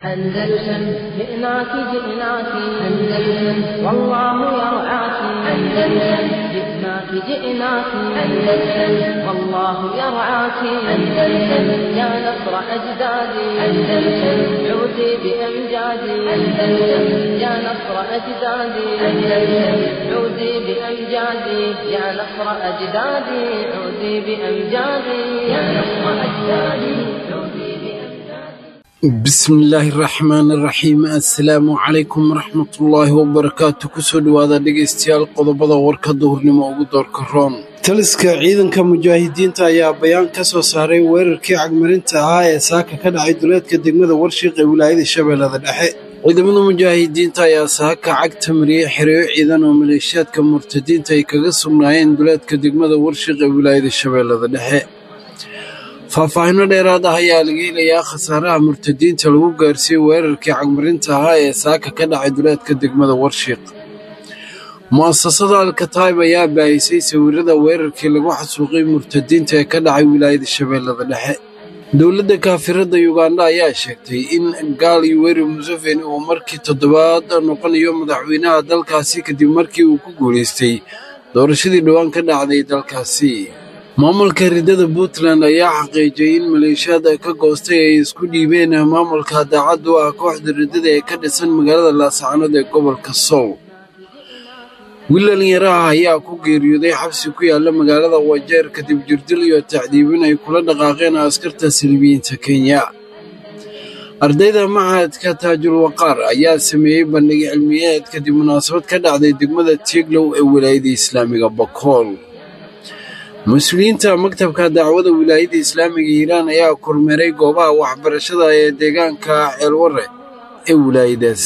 أندلسن جئناك جئناك أندلسن والله يرعاك أندلسن جئناك جئناك أندلسن والله يرعاك أندلسن يا نصر أجدادي أندلسن عودي بأمجادي أندلسن يا نصر أجدادي أندلسن عودي بأمجادي يا نصر أجدادي عودي بأمجادي يا نصر أجدادي عودي. Bismillaahi raxmaani raxiim. Assalaamu calaykum waraxmatullaahi wabarakaatu. Kusoo dhowaada dhegaystayaal qodobada warka duhurnimo ugu doorka roon. Taliska ciidanka mujaahidiinta ayaa bayaan ka soo saaray weerarkii cagmarinta ahaa ee saaka ka dhacay duleedka degmada Warshiiq ee wilaayada Shabeellada Dhexe. Ciidamada mujaahidiinta ayaa saaka cagta mariyey xereyo ciidan oo maleeshiyaadka murtadiinta ay kaga sugnaayeen duleedka degmada Warshiiq ee wilaayada Shabeellada Dhexe. Faahfaahino dheeraad ah ayaa laga helayaa khasaaraha murtadiinta lagu gaarsiiyey weerarkii cagmarinta ahaa ee saaka ka dhacay duleedka degmada Warshiiq. Mu'asasada Alkataib ayaa baahisay sawirada weerarkii lagu xasuuqay murtadiinta ee ka dhacay wilaayada Shabeellada Dhexe. Dowladda kaafirada Yuganda ayaa sheegtay in Gaal Yoweri Museveni uu markii toddobaad noqonayo madaxweynaha dalkaasi kadib markii uu ku guulaystay doorashadii dhowaan ka dhacday dalkaasi. Maamulka riddada Puntland ayaa xaqiijiyey in maleeshiyaad ka goostay ay isku dhiibeen maamulka daacaddu ah kooxda riddada ee ka dhisan magaalada Laascaanood ee gobolka Sool. Wiil dhalinyaro ah ayaa ku geeriyooday xabsi ku yaala magaalada Wajeer kadib jirdil iyo tacdiibin ay kula dhaqaaqeen askarta Silibiyiinta Kenya. Ardayda machadka Taajul Waqaar ayaa sameeyey bandhig cilmiyeed kadib munaasabad ka dhacday degmada Tieglow ee wilaayada Islaamiga Bakool. Mas-uuliyiinta maktabka dacwada wilaayada islaamiga Hiiraan ayaa kormeeray goobaha waxbarashada ee deegaanka Ceelwarre ee wilaayadaas.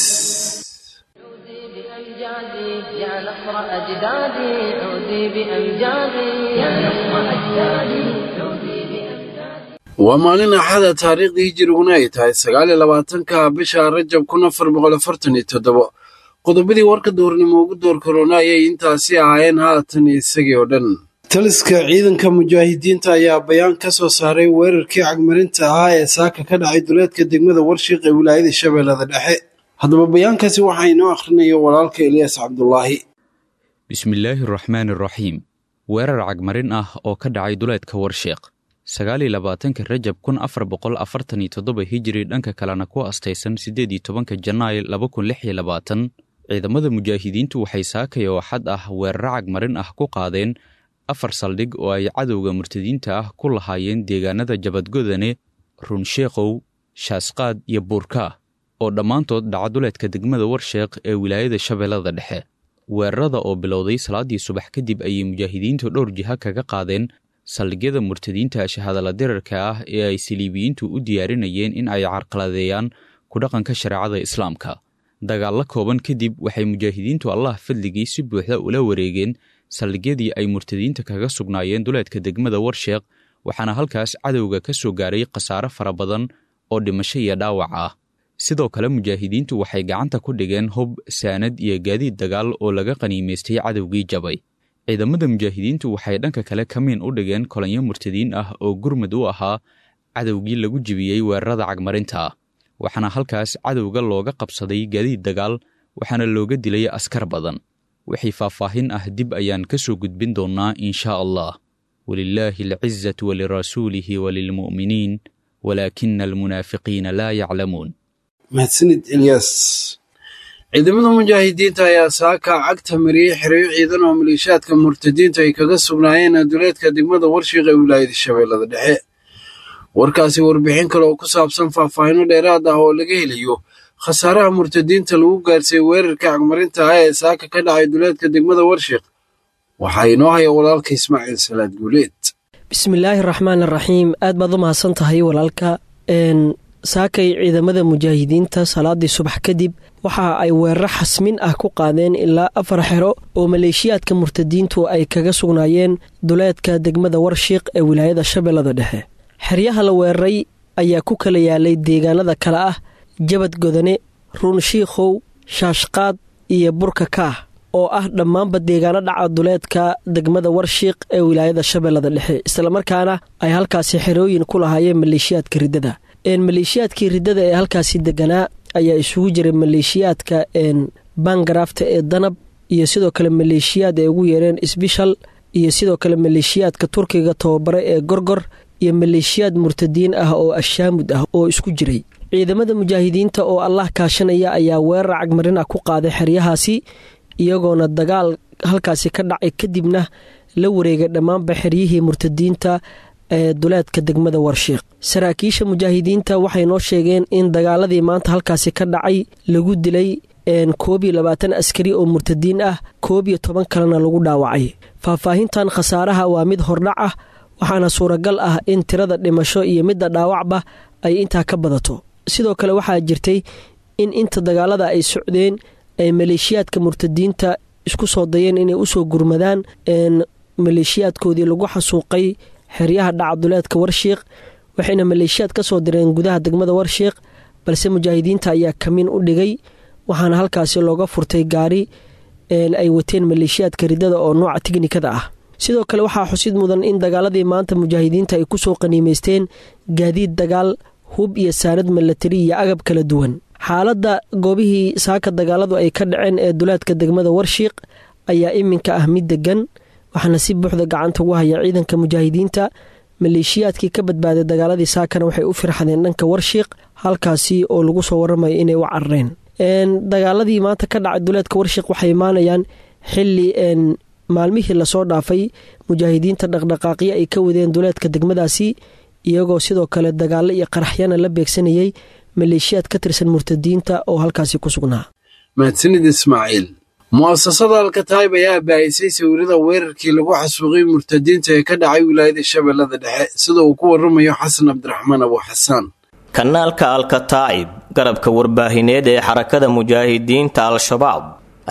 عودي بأمجادي يا نصر أجدادي عودي بأمجادي يا نصر أجدادي عودي بأمجادي. Waa maalin Axada, taariikhdii hijiriguna ay tahay 29-ka bisha Rajab 1447. Qodobadii warka duhurnimo ugu door korona ayay intaasi ahaayeen, haatan isagii oo dhan. Taliska ciidanka mujaahidiinta ayaa bayaan ka soo saaray weerarkii cagmarinta ahaa ee saaka ka dhacay duleedka degmada Warshiiq ee wilaayada Shabeellada Dhexe. Haddaba bayaankaasi waxaa inoo akhrinaya walaalka Eliyaas Cabdulaahi. Bismillaahi raxmaani raxiim. Weerar cagmarin ah oo ka dhacay duleedka Warsheekh 29-ka Rajab 1447 Hijri, dhanka kalena ku astaysan 18-ka Janaay 2026, ciidamada mujaahidiintu waxay saakay oo xad ah weeraro cagmarin ah ku qaadeen afar saldhig oo ay cadowga murtadiinta ah ku lahaayeen deegaanada Jabadgodane, Runsheekow, Shaasqaad iyo Buurkaa oo dhammaantood dhaca duleedka degmada Warsheekh ee wilaayada Shabeellada Dhexe. Weerarada oo bilowday salaaddii subax kadib ayay mujaahidiintu dhowr jiha kaga qaadeen saldhigyada murtadiinta shahadala dirarka ah ee ay saliibiyiintu u diyaarinayeen in ay carqaladeeyaan ku dhaqanka shareecada islaamka. Dagaallo kooban kadib waxay mujaahidiintu Allah fadligii si buuxda ula wareegeen saldhigyadii ay murtadiinta kaga sugnaayeen duleedka degmada Warsheekh, waxaana halkaas cadowga ka soo gaaray khasaare fara badan oo dhimasho iyo dhaawac ah. Sidoo kale mujaahidiintu waxay gacanta ku dhigeen hub, saanad iyo gaadiid dagaal oo laga qaniimaystay cadowgii jabay. Ciidamada mujaahidiintu waxay dhanka kale kamiin u dhigeen kolonyo murtadiin ah oo gurmud u ahaa cadowgii lagu jibiyey weerarada cagmarinta ah, waxaana halkaas cadowga looga qabsaday gaadiid dagaal, waxaana looga dilay askar badan. Wixii faahfaahin ah dib ayaan ka soo gudbin doonnaa inshaa allah. Walilaahi alcizatu walirasuulihi walilmu'miniin walaakina almunaafiqiina laa yaclamuun. Mahadsanid Eliyaas. Ciidamada mujaahidiinta ayaa saaka cagta mariyey xereyo ciidan oo maleeshiyaadka murtadiinta ay kaga sugnaayeen duleedka degmada Warshiiq ee wilaayada Shabeellada Dhexe. Warkaasi warbixin kale oo ku saabsan faahfaahino dheeraad ah oo laga helayo khasaaraha murtadiinta lagu gaarsiiyey weerarka cagmarinta ah ee saaka ka dhacay duleedka degmada Warshiiq waxaa inoo haya walaalka Ismaaciil Salaad Guuleed. Bismillaahi raxmaan araxiim. Aad baad u mahadsan tahay walaalka. Saakay ciidamada mujaahidiinta salaadii subax kadib waxa ay weeraro xasmin ah ku qaadeen ilaa afar xero oo maleeshiyaadka murtadiintu ay kaga sugnaayeen duleedka degmada Warshiiq ee wilaayada Shabeellada Dhexe. Xeryaha la weeraray ayaa ku kala yaalay deegaanada kale ah Jabad Godane, Ruunshiikhow, Shaashqaad iyo Burka Kaah oo ah dhammaanba deegaano dhaca duleedka degmada Warshiiq ee wilaayada Shabeellada Dhexe, islamarkaana ay halkaasi xerooyin ku lahaayeen maleeshiyaadka riddada. Maleeshiyaadkii riddada ee halkaasi deganaa ayaa isugu jiray maleeshiyaadka bangarafta ee danab iyo sidoo kale maleeshiyaad ay ugu yeereen isbishal iyo sidoo kale maleeshiyaadka turkiga tababare ee gorgor iyo maleeshiyaad murtadiin ah oo ashaamud ah oo isku jiray. Ciidamada mujaahidiinta oo Allah kaashanaya ayaa weerar cagmarin ah ku qaaday xeryahaasi, iyagoona dagaal halkaasi ka dhacay kadibna la wareegay dhammaanba xeryihii murtadiinta ee duleedka degmada Warshiiq. Saraakiisha mujaahidiinta waxay noo sheegeen in dagaaladii maanta halkaasi ka dhacay lagu dilay 21 askari oo murtadiin ah, 11 kalena lagu dhaawacay. Faahfaahintan khasaaraha waa mid hordhac ah, waxaana suuragal ah in tirada dhimasho iyo midda dhaawacba ay intaa ka badato. Sidoo kale waxaa jirtay in inta dagaalada ay socdeen ay maleeshiyaadka murtadiinta isku soo dayeen inay usoo gurmadaan maleeshiyaadkoodii lagu xasuuqay xeryaha dhaca duleedka Warshiiq, waxayna maleeshiyaad ka soo direen gudaha degmada Warshiiq, balse mujaahidiinta ayaa kamin u dhigay, waxaana halkaasi looga furtay gaari ay wateen maleeshiyaadka riddada oo nooca tiknikada ah. Sidoo kale waxaa xusid mudan in dagaaladii maanta mujaahidiinta ay kusoo qaniimaysteen gaadiid dagaal, hub iyo saanad milatari iyo agab kala duwan. Xaaladda goobihii saaka dagaaladu ay ka dhaceen ee duleedka degmada Warshiiq ayaa iminka ah mid degan, waxaana si buuxda gacanta ugu haya ciidanka mujaahidiinta. Maleeshiyaadkii ka badbaaday dagaaladii saakana waxay u firxadeen dhanka Warshiiq, halkaasi oo lagu soo waramayo inay u carareen. Dagaaladii maanta ka dhacay duleedka Warshiiq waxay imaanayaan xili maalmihii lasoo dhaafay mujaahidiinta dhaqdhaqaaqyo ay ka wadeen duleedka degmadaasi, iyagoo sidoo kale dagaalo iyo qaraxyana la beegsanayay maleeshiyaad ka tirsan murtadiinta oo halkaasi ku sugnaa. Mahadsanid Ismaaciil. Mu'asasada Alkataib ayaa baahisay sawirada weerarkii lagu xasuuqay murtadiinta ee ka dhacay wilaayada Shabeellada Dhexe, sida uu ku waramayo Xasan Cabdiraxmaan Abu Xasaan. Kanaalka Alkataa'ib, garabka warbaahineed ee xarakada mujaahidiinta Al-Shabaab,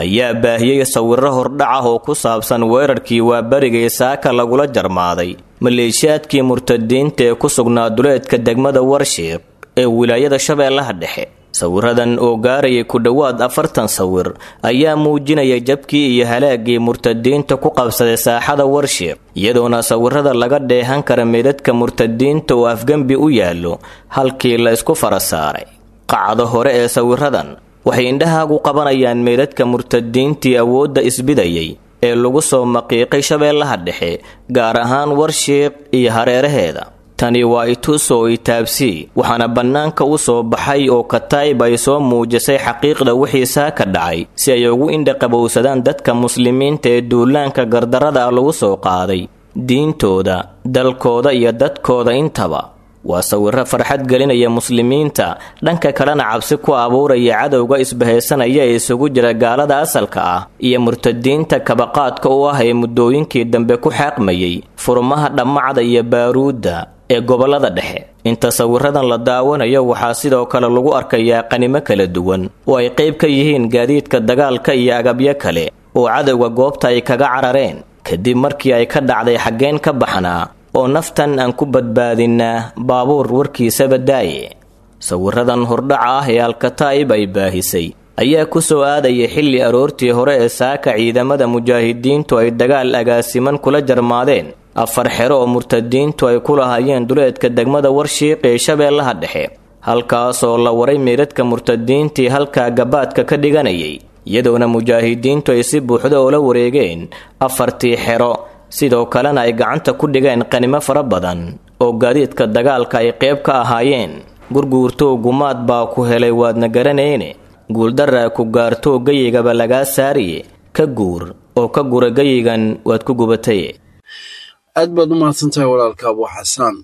ayaa baahiyey sawirro hordhac ah oo ku saabsan weerarkii waabarigay saaka lagula jarmaaday maleeshiyaadkii murtadiinta ee ku sugnaa duleedka degmada Warshiiq ee wilaayada Shabeellaha Dhexe. Sawiradan oo gaarayay ku dhowaad 40 sawir ayaa muujinaya jabkii iyo halaagii murtadiinta ku qabsaday saaxada Warshiiq, iyadoona sawirada laga dheehan kara meydadka murtadiinta oo afgembi u yaallo halkii la isku fara saaray. Qacda hore ee sawiradan waxay indhahaagu qabanayaan meydadka murtadiintii awoodda isbidayay ee lagu soo maqiiqay Shabeellaha Dhexe, gaar ahaan Warshiiq iyo hareeraheeda. Tani waa itus oo itaabsii, waxaana bannaanka u soo baxay oo Kataib ay soo muujisay xaqiiqda wixii saaka dhacay si ay ugu indhaqabowsadaan dadka muslimiinta ee duulaanka gardarrada ah lagu soo qaaday diintooda, dalkooda iyo dadkooda intaba. Waa sawirro farxad gelinaya muslimiinta, dhanka kalena cabsi ku abuuraya cadowga isbahaysanaya ee isugu jira gaalada asalka ah iyo murtadiinta kabaqaadka u ah ee muddooyinkii dambe ku xaaqmayay furmaha dhammacda iyo baaruudda ee gobollada dhexe. Inta sawiradan la daawanayo waxaa sidoo kale lagu arkayaa qanimo kala duwan oo ay qayb ka yihiin gaadiidka dagaalka iyo agabyo kale oo cadowga goobta ay kaga carareen kadib markii ay ka dhacday xaggeen ka baxnaa oo naftan aan ku badbaadinnaa baabuur warkiisaba daaye. Sawiradan hordhaca ah ee Alkataa'ib ay baahisay ayaa ku soo aadaya xilli aroortii hore ee saaka ciidamada mujaahidiintu ay dagaal agaasiman kula jarmaadeen 4 xero oo murtadiintu ay ku lahaayeen duleedka degmada Warshiiq ee Shabeellaha Dhexe, halkaasoo la waray meydadka murtadiintii halkaa gabaadka ka dhiganayay, iyadoona mujaahidiintu ay si buuxda oola wareegeen 4tii xero, sidoo kalena ay gacanta ku dhigeen qanimo fara badan oo gaadiidka dagaalka ay qayb ka ahaayeen. Gurguurtow gumaad baa ku helay waadna garanayne, guuldaraa ku gaartoo gayigaba lagaa saariye, ka guur oo ka gura gayigan waad ku gubataye. Aad baad u mahadsantahay walaalka Abu Xasaan.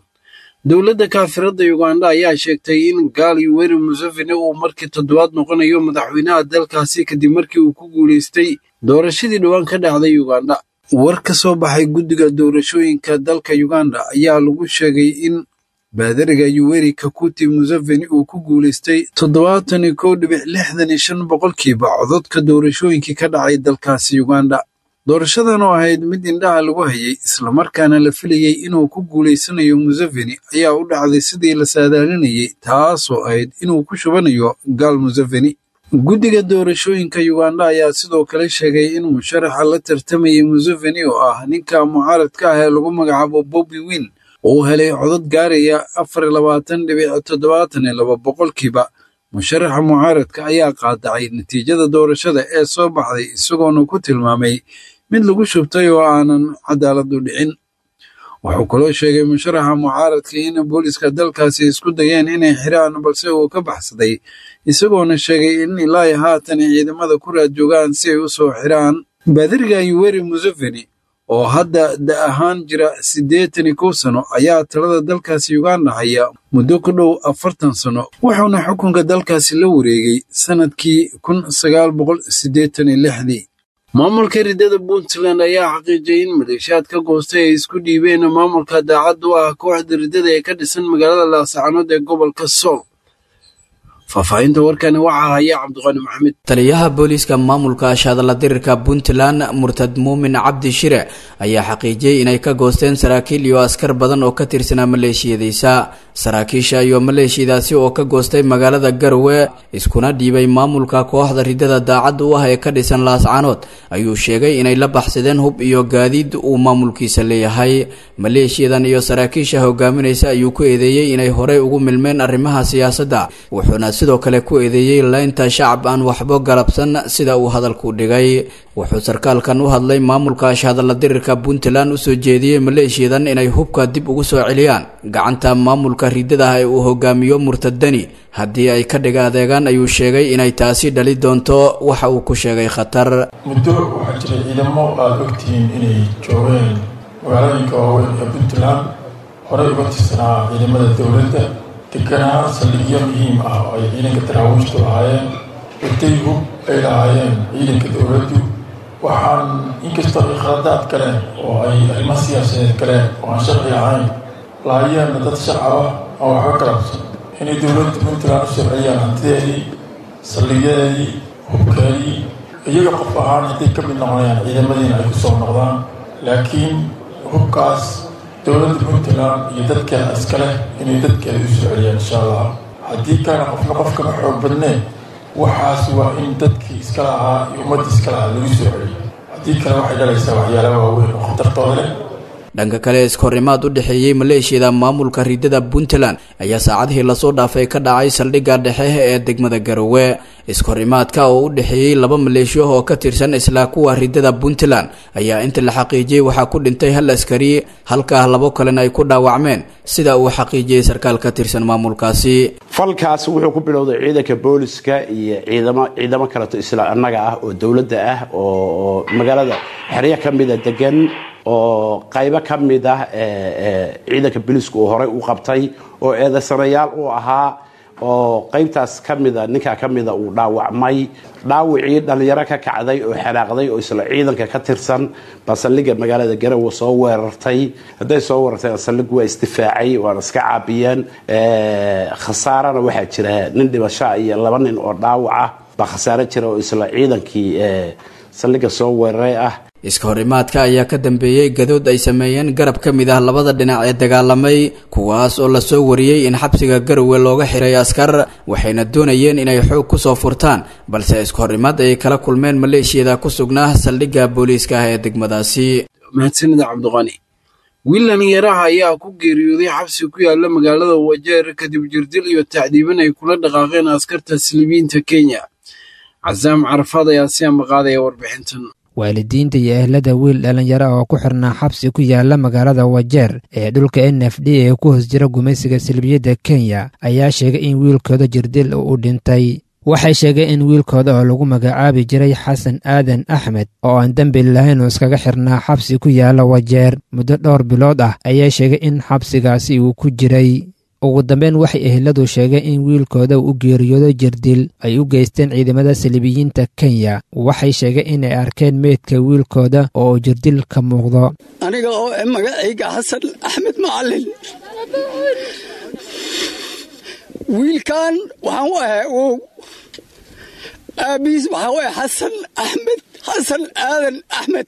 Dowladda kaafiradda Uganda ayaa sheegtay in gaal Yoweri Museveni uu markii 7aad noqonayo madaxweynaha dalkaasi kadib markii uu ku guulaystay doorashadii dhowaan ka dhacday Uganda. War ka soo baxay guddiga doorashooyinka dalka Uganda ayaa lagu sheegay in baadariga Yoweri Kaguta Museveni uu ku guulaystay 71.65% codadka doorashooyinkii ka dhacay dalkaasi Uganda. Doorashadan oo ahayd mid indhaha lagu hayay islamarkaana la filayey inuu ku guulaysanayo Museveni ayaa u dhacday sidii la saadaalinayay, taasoo ahayd inuu ku shubanayo gaal Museveni. Guddiga doorashooyinka Uganda ayaa sidoo kale sheegay in musharaxa la tartamayay Museveni oo ah ninka mucaaradka ah ee lagu magacaabo Bobi Wine Uu helay codad gaaraya 24.72%. Musharaxa mucaaradka ayaa qaadacay natiijada doorashada ee soo baxday, isagoona ku tilmaamay mid lagu shubtay oo aanan cadaalad u dhicin. Wuxuu kaloo sheegay musharaxa mucaaradka in booliska dalkaasi isku dayeen inay xiraan, balse uu ka baxsaday, isagoona sheegay in ilaa haatan ciidamada ku raad joogaan si ay u soo xiraan. Baadiriga Yoweri Museveni oo hadda da ahaan jira 81 sano ayaa talada dalkaasi Uganda haya muddo ku dhow 40 sano, wuxuuna xukunka dalkaasi la wareegay sanadkii 1986dii. Maamulka riddada Puntland ayaa xaqiijiyay in maleeshiyaad ka goostay ay isku dhiibeen maamulka daacad u ah kooxda riddada ee ka dhisan magaalada Laascaanood ee gobolka Sool. Faahfaahinta warkani waxaa haya Cabdiqani Maxamed. Taliyaha booliiska maamulka ashadala dirirka Puntland, Murtad Muumin Cabdi Shire, ayaa xaqiijiyey inay ka goosteen saraakiil iyo askar badan oo ka tirsanaa maleeshiyadiisa. Saraakiisha iyo maleeshiyadaasi oo ka goostay magaalada Garowe iskuna dhiibay maamulka kooxda riddada daacad u ah ee ka dhisan Laascaanood ayuu sheegay inay la baxsadeen hub iyo gaadiid uu maamulkiisa leeyahay. Maleeshiyadan iyo saraakiisha hogaaminaysa ayuu ku eedeeyey inay horey ugu milmeen arrimaha siyaasadda, wuxuuna sidoo kale ku eedeeyey laynta shacab aan waxba galabsan sida uu hadalku dhigay. Wuxuu sarkaalkan u hadlay maamulka ashadala dirirka Puntland usoo jeediyey maleeshiyadan inay hubka dib ugu soo celiyaan gacanta maamulka riddada ee uu hogaamiyo Murtadani. Haddii ay ka dhiga adeegaan ayuu sheegay inay taasi dhali doonto waxa uu ku sheegay khatar. Muddo waxaa jiray ciidamo aada ogtihiin inay joogeen magaalooyinka waaweyn ee Puntland, horey uga tirsanaa ciidamada dowladda, deganaa saldhigyo muhiim ah oo ay ciidanka daraawiishtu lahaayeen, watay hub ay lahaayeen ciidanka dowladdu. Waxaan inkastoo ay khaladaad galeen oo ay arrimo siyaasadeed galeen oo aan sharci ahayn, lahaayeenna dad shacab ah oo waxba galabsan, inay dowladda Puntland u soo celiyaan hantideedii, saldhigyadeedii, hubkeedii, iyaga qof ahaan hadday ka mid noqonayaan ciidamadiina ay ku soo noqdaan, laakiin hubkaas dowladda Puntland iyo dadkeeda iskaleh inay dadkeeda u soo celiyaan insha Allah. Haddii kalena qofna qof kama xoog badneen, waxaas waa in dadkii iska lahaa iyo ummadda iska lahaa lagu soo celiyo. Haddii kale waxay dhalaysaa waxyaala waaweyn oo khatartooda leh. Dhanka kale, iskahorimaad u dhexeeyey maleeshiyada maamulka riddada Puntland ayaa saacadihii lasoo dhaafay ka dhacay saldhigga dhexe ee degmada Garowe. Iskahorimaadka oo u dhexeeyey laba maleeshiyo oo ka tirsan isla kuwa riddada Puntland ayaa inta la xaqiijiyey waxaa ku dhintay hal askari, halkaa labo kalena ay ku dhaawacmeen, sida uu xaqiijiyey sarkaal ka tirsan maamulkaasi. Falkaasi wuxuu ku bilowday ciidanka booliska iyo ciidamo kaleto isla annaga ah oo dowladda ah oo magaalada xeryo ka mida degan, oo qaybo ka mid ah ciidanka booliisku uu horey u qabtay oo eedaysanayaal u ahaa, oo qaybtaas ka mida ninkaa ka mida uu dhaawacmay. Dhaawicii dhallinyaro ka kacday oo xanaaqday oo isla ciidanka ka tirsan baa saldhigga magaalada Garowe soo weerartay. Hadday soo weerartay, saldhiggu waa isdifaacay, waana iska caabiyeen. Khasaarana waxaa jira nin dhibashaa iyo laba nin oo dhaawac ah baa khasaaro jira oo isla ciidankii saldhigga soo weeraray ah. Iska horimaadka ayaa ka dambeeyey gadood ay sameeyeen garab ka mid ah labada dhinac ee dagaalamay, kuwaas oo lasoo wariyey in xabsiga Garowe looga xiray askar, waxayna doonayeen inay xoog kusoo furtaan, balse iska horimaad ay kala kulmeen maleeshiyada ku sugnaa saldhigga booliiska ah ee degmadaasi. Mahadsanida Cabdiqani. Wiil dhalinyaraha ayaa ku geeriyooday xabsi ku yaala magaalada Wajeer kadib jirdil iyo tacdiibin ay kula dhaqaaqeen askarta silibiinta Kenya. Casaam Carafaad ayaa si ambaqaadaya warbixintan. Waalidiinta iyo ehlada wiil dhallinyaro oo ku xirnaa xabsi ku yaala magaalada Wajeer ee dhulka NFD ee ku hoos jira gumaysiga salbiyadda Kenya ayaa sheegay in wiilkooda jirdil uu dhintay. Waxay sheegeen in wiilkooda oo lagu magacaabi jiray Xasan Aadan Axmed oo aan dembi lahayn oo iskaga xirnaa xabsi ku yaala Wajeer muddo dhowr bilood ah ayaa sheegay in xabsigaasi uu ku jiray. Ugu dambeyn, waxay eheladu sheegeen in wiilkooda u geeriyoodo jirdil ay u geysteen ciidamada saliibiyiinta Kenya. Waxay sheegeen inay arkeen meydka wiilkooda oo jirdil ka muuqdo. Aniga oo magacayga Xasan Axmed Macalin, wiilkan waxaan u ahay ow, aabbihiis waxaa u ahay Xasan Axmed, Xasan Aadan Axmed.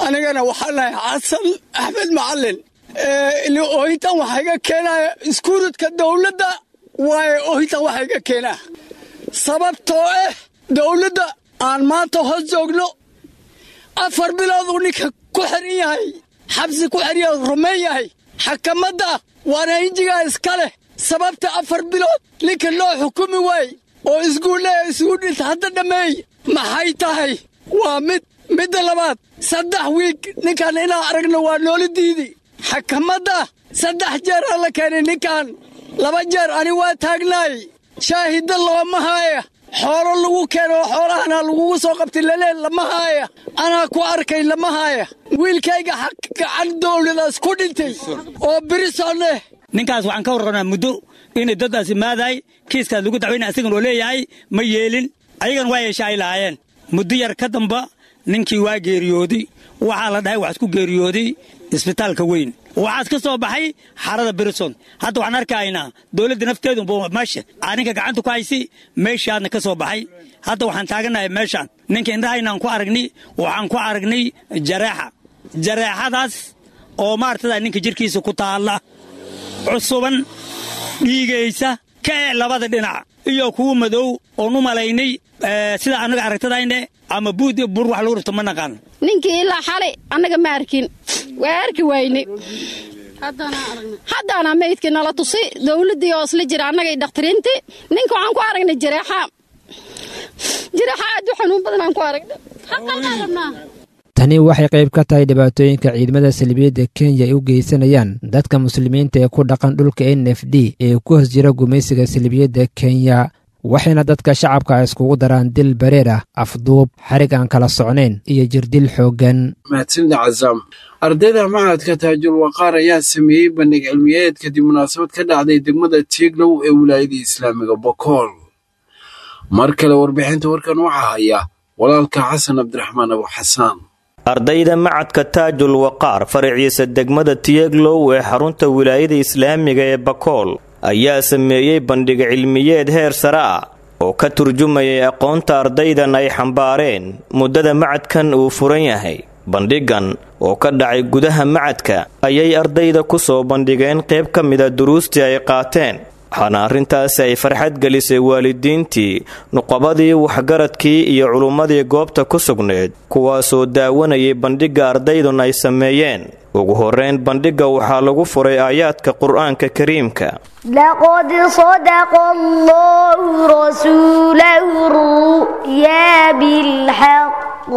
Anigana waxaan ahay Xasan Axmed Macalin. Oohintan waxaa iga keenaya iskuuradka dowladda waaye. Oohintan waxaa iga keenaa sababtoo ah dowladda aan maanta hoos joogno 4 bilood uu ninka ku xiran yahay, xabsi ku xiran yahay, rumayn yahay. Xakamadda waana injigaa iska leh. Sababta 4 bilood ninka loo xukumi waay oo isguulle isugu dhinta hadda dhammeey maxay tahay? Waa mid. Midda labaad, 3 wiig ninkan inaan aragno waa noola diidi. Xakamadda 3 jeer aan la keenay ninkan, 2 jeer ani waa taagnaay. Shaahidda looma haaya, xoolo lagu keeno xoolahana lagugu soo qabtay lalee lama haaya, anaa ku arkay lama haaya. Wiilkayga xaq gacan dowladaas ku dhintay oo birisoneh. Ninkaas waxaan ka warrabnaa muddo inay daddaas imaadaay kiiskaas lagu dacweyna, asigan oo leeyahay ma yeelin, ayagan waa yeesha ay lahaayeen. Muddo yar ka damba ninkii waa geeriyooday. Waxaa la dhahay waxaas ku geeriyooday isbitaalka weyn, waxaas ka soo baxay xarada Brison. Hadda waxaan arkaynaa dowladda nafteedu meesha ninka gacanta ku haysi, meeshaadna ka soo baxay. Hadda waxaan taaganahay meeshaan ninka indhahaynaan ku aragnay, waxaan ku aragnay jareexa, jareexadaas oo maartada ninka jirkiisa ku taalla, cusuban, dhiigaysa ka ee labada dhinac iyo kuwa madow oon u malaynay sida annaga aragtadayne ama buud iyo bur wax lagu rifto ma naqaan. Ninkii ilaa xalay annaga ma arkin, waa arki wayne. Haddaana maydkii nala tusi dowladdii oo isla jira annagay dhakhtiriintii. Ninka waxaan ku aragnay jareexa, jareexa aad u xanuun badan aan ku aragnay. Tani waxay qayb ka tahay dhibaatooyinka ciidamada salibiyadda Kenya ay u geysanayaan dadka muslimiinta ee ku dhaqan dhulka NFD ee ku hoos jira gumaysiga salibiyadda Kenya, waxayna dadka shacabka iskugu daraan dil bareer ah, afduub, xarig aan kala socnayn iyo jirdil xooggan. Mahadsanida Cazaam. Ardayda machadka Taajul Waqaar ayaa sameeyey bandhig cilmiyeed kadib munaasabad ka dhacday degmada Tieglow ee wilaayada islaamiga Bokool. Mar kale warbixinta warkan waxaa haya walaalka Xasan Cabdiraxmaan Abu Xasaan. Ardayda macadka Taajul Waqaar faraciisa degmada Tieglow ee xarunta wilaayada islaamiga ee Bakool ayaa sameeyey bandhig cilmiyeed heer sare ah oo ka turjumayay aqoonta ardaydan ay xambaareen muddada macadkan uu furan yahay. Bandhigan oo ka dhacay gudaha macadka ayay ardayda ku soo bandhigeen qayb ka mida duruustii ay qaateen, waxaana arrintaasi ay farxad gelisay waalidiintii, nuqabadii, waxgaradkii iyo culummadii goobta ku sugneed, kuwaasoo daawanayay bandhigga ardaydun ay sameeyeen. Ugu horreyn bandhigga waxaa lagu furay aayaadka Qur'aanka Kariimka. لقد صدق الله رسوله الرؤيا بالحق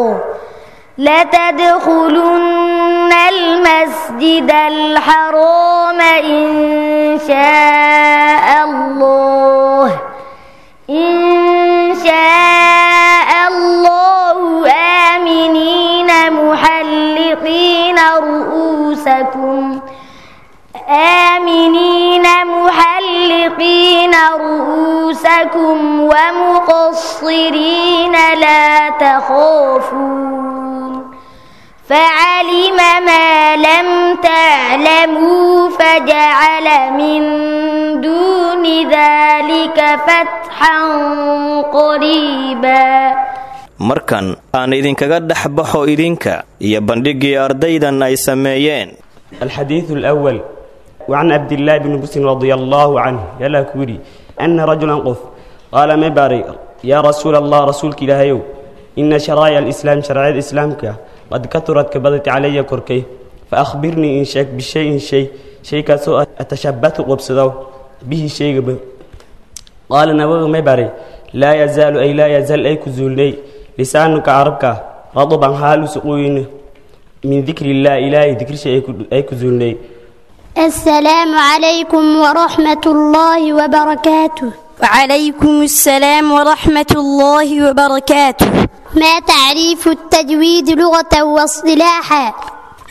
لتدخلن المسجد الحرام إن شاء الله إن شاء الله آمنين محلقين رؤوسكم آمنين محلقين رؤوسكم ومقصرين لا تخافون فعلم ما لم تعلموا فجعل من دون ذلك فتحا قريبا. Markan aan idinkaga dhex baxo idinka iyo bandhiggii ardaydan ay sameeyeen. الحديث الأول: وعن عبد الله بن بسر رضي الله عنه يلا كوري أن رجلا قف قال ما باري يا رسول الله رسولك إلهيو إن شرائع الإسلام شرائع الإسلام قد كثرت كبدت علي كركي فأخبرني إن شك بشيء شيء شيء كسوء أتشبث قبصدو به شيء قال نبغ ما باري لا يزال أي لا يزال أي كزولي لسانك عربك رطبا حال سقوين من ذكر الله إلهي ذكر شيء أي كزولي. السلام عليكم ورحمة الله وبركاته. وعليكم السلام ورحمة الله وبركاته. ما تعريف التجويد لغة واصطلاحا؟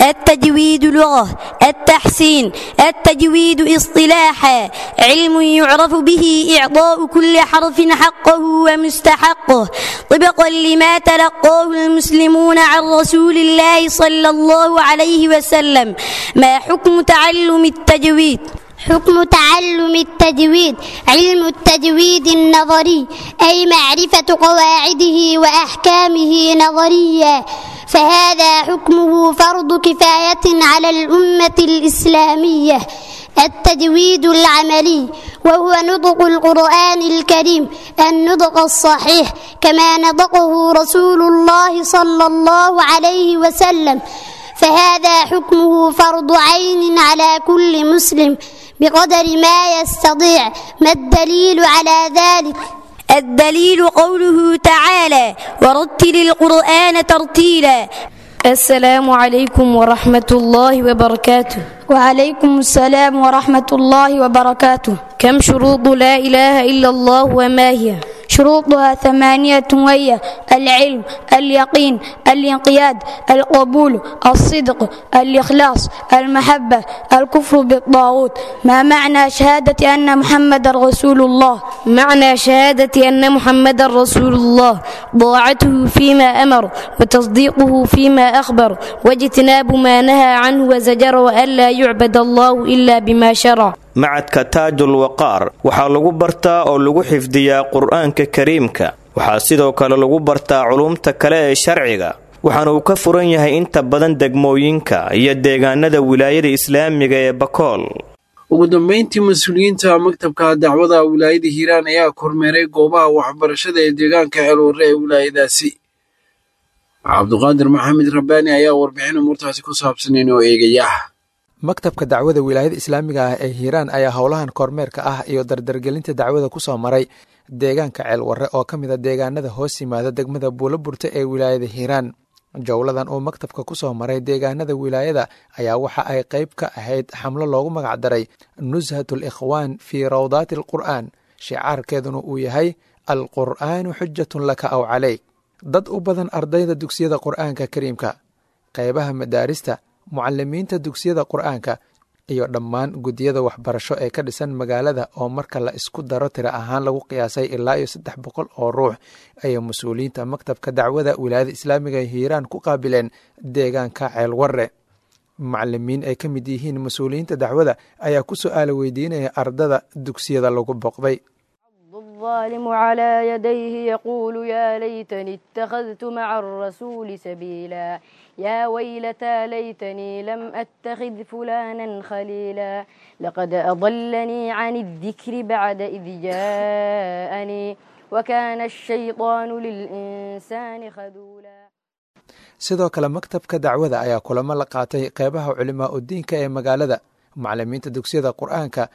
التجويد لغة التحسين، التجويد اصطلاحا علم يعرف به إعطاء كل حرف حقه ومستحقه طبقا لما تلقاه المسلمون عن رسول الله صلى الله عليه وسلم. ما حكم تعلم التجويد؟ حكم تعلم التجويد علم التجويد النظري، أي معرفة قواعده وأحكامه نظريا، فهذا حكمه فرض كفاية على الأمة الإسلامية. التجويد العملي وهو نطق القرآن الكريم النطق الصحيح كما نطقه رسول الله صلى الله عليه وسلم، فهذا حكمه فرض عين على كل مسلم بقدر ما يستطيع. ما الدليل على ذلك؟ الدليل قوله تعالى: ورتل القرآن ترتيلا. السلام عليكم ورحمة الله وبركاته. وعليكم السلام ورحمة الله وبركاته. كم شروط لا إله إلا الله وما هي؟ شروطها 8، وهي العلم، اليقين، الانقياد، القبول، الصدق، الإخلاص، المحبة، الكفر بالطاغوت. ما معنى شهادة أن محمد رسول الله؟ معنى شهادة أن محمد رسول الله طاعته فيما أمر، وتصديقه فيما أخبر، واجتناب ما نهى عنه وزجر، وألا يعبد الله إلا بما شرع. Macadka Taajul Waqaar waxaa lagu bartaa oo lagu xifdiyaa Qur-aanka Kariimka. Waxaa sidoo kale lagu bartaa culumta kale ee sharciga, waxaana uu ka furan yahay inta badan degmooyinka iyo deegaanada wilaayada islaamiga ee Bakool. Ugu dambeyntii, mas-uuliyiinta maktabka dacwada wilaayada Hiiraan ayaa kormeeray goobaha waxbarashada ee deegaanka Ceelwarre ee wilaayadaasi. Cabduqaadir Maxamed Rabbaani ayaa warbixin umuurtaasi ku saabsan inoo eegaya. Maktabka dacwada wilaayada islaamiga ah ee Hiiraan ayaa howlahan kormeerka ah iyo dardargelinta dacwada ku soo maray deegaanka Ceelwarre oo ka mid a deegaanada hoos yimaada degmada Buulaburta ee wilaayada Hiiraan. Jowladan uu maktabka ku soo maray deegaanada wilaayada ayaa waxa ay qayb ka ahayd xamlo loogu magacdaray Nushatul Ikhwaan fii Rawdaati Alqur'aan, shicaarkeeduna uu yahay Alqur'aanu xujatun laka aw caleyk. Dad u badan ardayda dugsiyada Qur'aanka Kariimka, qaybaha madaarista, mucalimiinta dugsiyada Qur-aanka iyo dhammaan guddiyada waxbarasho ee ka dhisan magaalada oo marka la isku daro tiro ahaan lagu qiyaasay ilaa iyo 300 oo ruux ayay mas-uuliyiinta maktabka dacwada wilaayada islaamiga ee Hiiraan ku qaabileen deegaanka Ceelwarre. Macalimiin ay ka mid yihiin mas-uuliyiinta dacwada ayaa ku su-aala weydiinaya ardada dugsiyada lagu booqday. الظالم على يديه يقول يا ليتني اتخذت مع الرسول سبيلا، يا ويلتى ليتني لم أتخذ فلانا خليلا، لقد أضلني عن الذكر بعد إذ جاءني، وكان الشيطان للإنسان خذولا. Sidoo kale maktabka dacwada ayaa kulamo la qaatay qeybaha culimaa udiinka ee magaalada, macalimiinta dugsiyada Qur-aanka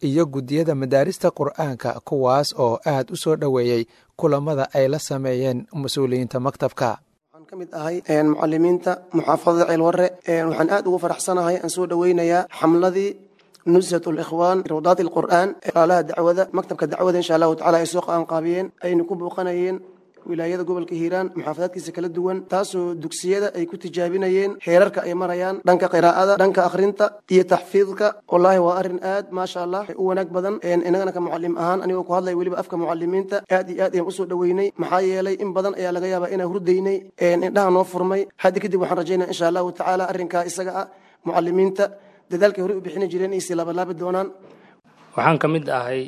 iyo guddiyada madaarista Qur-aanka, kuwaas oo aad u soo dhoweeyey kulamada ay la sameeyeen mas-uuliyiinta maktabka. Waxaan ka mid ahay mucalimiinta muxaafadada Ceelwarre. Waxaan aad ugu faraxsanahay aan soo dhoweynayaa xamladii Nushat Alikhwaan Rawdaat Alqur'aan, alaha dacwada maktabka dacwada insha Allahu tacala ay soo qaanqaabiyeen, ayna ku booqanayeen wilaayada gobolka Hiiraan muxaafadaadkiisa kala duwan, taasoo dugsiyada ay ku tijaabinayeen heerarka ay marayaan dhanka qiraa'ada, dhanka akhrinta iyo taxfiidka. Wallaahi waa arrin aad maasha Allah u wanaag badan. Inagana ka mucallim ahaan, anigoo ku hadlaya weliba afka mucalimiinta, aad iyo aad ayaan usoo dhoweynay. Maxaa yeelay in badan ayaa laga yaabaa inaan hurdaynay, indhaha noo furmay. Hadda kadib waxaan rajaynaa insha Allahu tacaala arrinkaa isaga ah mucalimiinta dadaalkay horey u bixini jireen inay sii laabalaabi doonaan. Waxaan ka mid ahay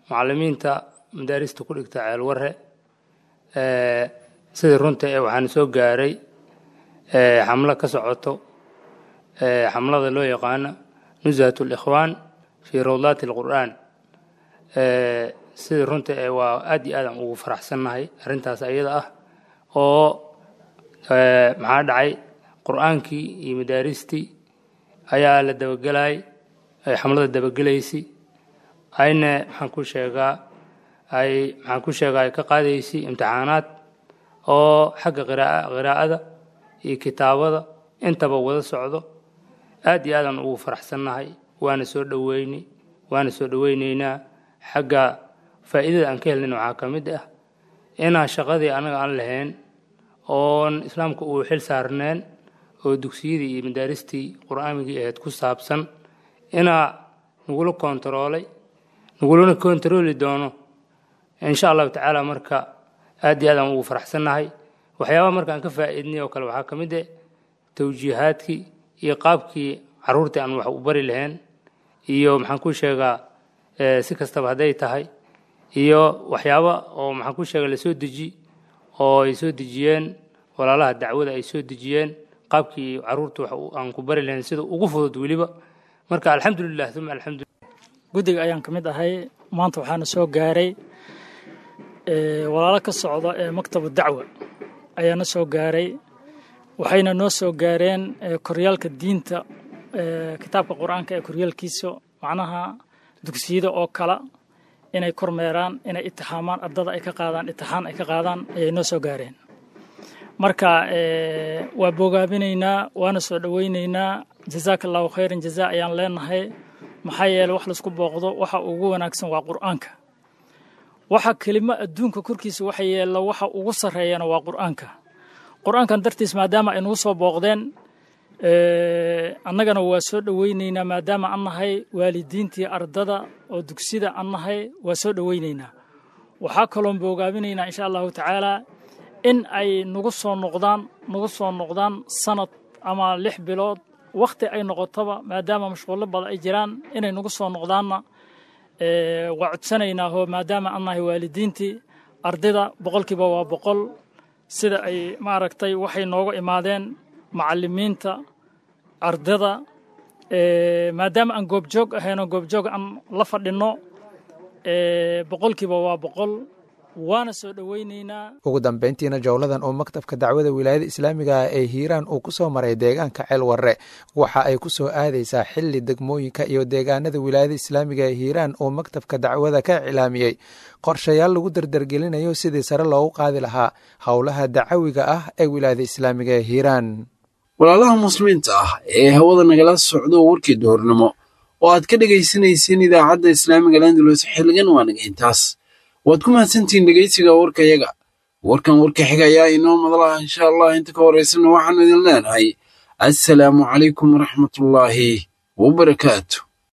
mucalimiinta madaarista ku dhigta Ceelwarre. Sidii runta ee waxaan soo gaaray xamlo ka socoto, xamlada loo yaqaano Nushat Alikhwaan fii Rawdaati Alqur'aan. Sidii runta ee waa aad iyo aad aan ugu faraxsannahay arrintaas ayada ah, oo maxaa dhacay Qur-aankii iyo madaaristii ayaa la dabagelayay, xamlada dabagelaysay, ayna maxaan ku sheegaa ay maxaan ku sheegaa ay ka qaadaysay imtixaanaad oo xagga qiraa'ada iyo kitaabada intaba wada socdo. Aad iyo aadaan ugu faraxsannahay, waana soo dhoweyni waana soo dhoweyneynaa. Xagga faa'iidada aan ka helnin waxaa ka mid ah inaan shaqadii anaga aan lahayn oon islaamka uu xil saarneen oo dugsiyadii iyo madaaristii qur-aanigii ahayd ku saabsan inaa nagula koontaroolay, nagulana koontarooli doono insha Allahu tacaala. Marka aad iyo aad aan ugu faraxsannahay. Waxyaabaha marka aan ka faa'iidnay oo kale waxaa ka mid ah tawjiihaadkii iyo qaabkii carruurtii aan wax u bari lahayn, iyo maxaan ku sheegaa si kastaba hadday tahay, iyo waxyaaba oo maxaan ku sheegaa lasoo deji oo ay soo dejiyeen walaalaha dacwada ay soo dejiyeen qaabkii carruurta wax aan ku bari lahayn sida ugu fudud weliba. Marka alxamdulilah uma alxamdulilah. Guddiga ayaan ka mid ahay. Maanta waxaana soo gaaray walaalo ka socda ee maktabu dacwa ayaana soo gaaray. Waxayna noo soo gaareen koryaalka diinta, kitaabka qur-aanka ee koryaalkiisa, macnaha dugsiyada oo kala inay kormeeraan, inay itixaamaan ardada, ay ka qaadaan itixaan ay ka qaadaan ayay noo soo gaareen. Marka waa bogaabinaynaa, waana soo dhoweynaynaa. Jazaaka allahu khayran jazaa ayaan leenahay. Maxaa yeele, wax laisku booqdo waxa ugu wanaagsan waa qur-aanka. Waxa kelimo adduunka korkiisa waxa yeella waxa ugu sarreeyana waa qur-aanka. Qur-aankan dartiis maadaama ay nagu soo booqdeen, annagana waa soo dhoweynaynaa. Maadaama an nahay waalidiintii ardada oo dugsida an nahay, waa soo dhoweynaynaa. Waxaa kaloon boogaabinaynaa, insha allahu tacaalaa, in ay nagu soo noqdaan, nagu soo noqdaan sanad ama 6 bilood wakhti ay noqotoba, maadaama mashquullo badan ay jiraan, inay nagu soo noqdaanna waa codsanaynaa oo maadaama an nahay waalidiintii ardayda 100%. Sida ay maaragtay waxay nooga imaadeen macallimiinta ardada, maadaama aan goobjoog ahayno, goobjoog aan la fadhinno, 100%, waana soo dhoweynaynaa. Ugu dambeyntiina, jowladan oo maktabka dacwada wilaayada islaamiga ah ee Hiiraan uu ku soo maray deegaanka Ceelwarre waxa ay ku soo aadaysaa xilli degmooyinka iyo deegaanada wilaayada islaamiga ee Hiiraan uu maktabka dacwada ka iclaamiyey qorshayaal lagu dardargelinayo sidii sare loogu qaadi lahaa howlaha dacawiga ah ee wilaayada islaamiga ee Hiiraan. Walaalaha muslimiinta ah ee hawada nagala socdo, warkii duhurnimo oo aad ka dhegaysanayseen idaacadda islaamiga Landalus xilligan waa naga intaas. Waad ku mahadsantihiin dhegeysiga warkayaga. Warkan warka xiga ayaa inoo madalaha, insha allah. Inta ka horeysana waxaanu idin leenahay assalaamu calaykum waraxmatullaahi wabarakaatu.